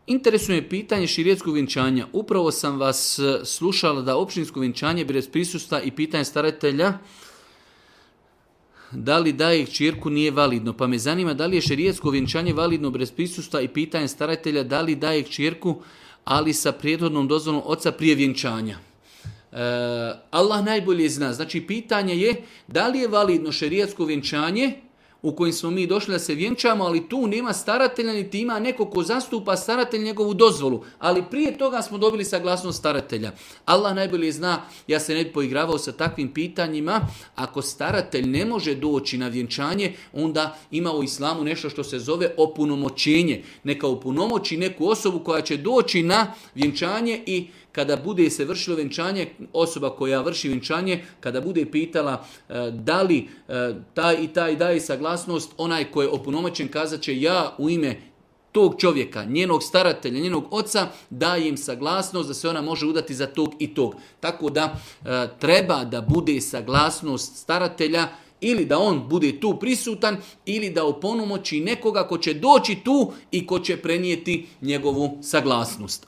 Interesuje me pitanje širijetskog vjenčanja. Upravo sam vas slušala da općinsko vjenčanje bez prisustva i pitanje staratelja da li daje kćerku nije validno. Pa me zanima da li je šerijetsko vjenčanje validno bez prisustva i pitanje staratelja da li daje kćerku ali sa prethodnom dozvolom oca prije vjenčanja. Allah najbolje zna. Znači pitanje je da li je validno šerijetsko vjenčanje u kojim smo mi došli da se vjenčamo, ali tu nema staratelja, niti ima neko ko zastupa staratelj njegovu dozvolu. Ali prije toga smo dobili saglasnost staratelja. Allah najbolje zna, ja se ne bi poigravao sa takvim pitanjima. Ako staratelj ne može doći na vjenčanje, onda ima u islamu nešto što se zove opunomoćenje. Neka opunomoći neku osobu koja će doći na vjenčanje i kada bude se vršilo vjenčanje, osoba koja vrši vjenčanje, kada bude pitala da li taj i taj daje saglasnost, onaj koji je opunomoćen kazat će ja u ime tog čovjeka, njenog staratelja, njenog oca, daje im saglasnost da se ona može udati za tog i tog. Tako da treba da bude saglasnost staratelja ili da on bude tu prisutan ili da opunomoći nekoga ko će doći tu i ko će prenijeti njegovu saglasnost.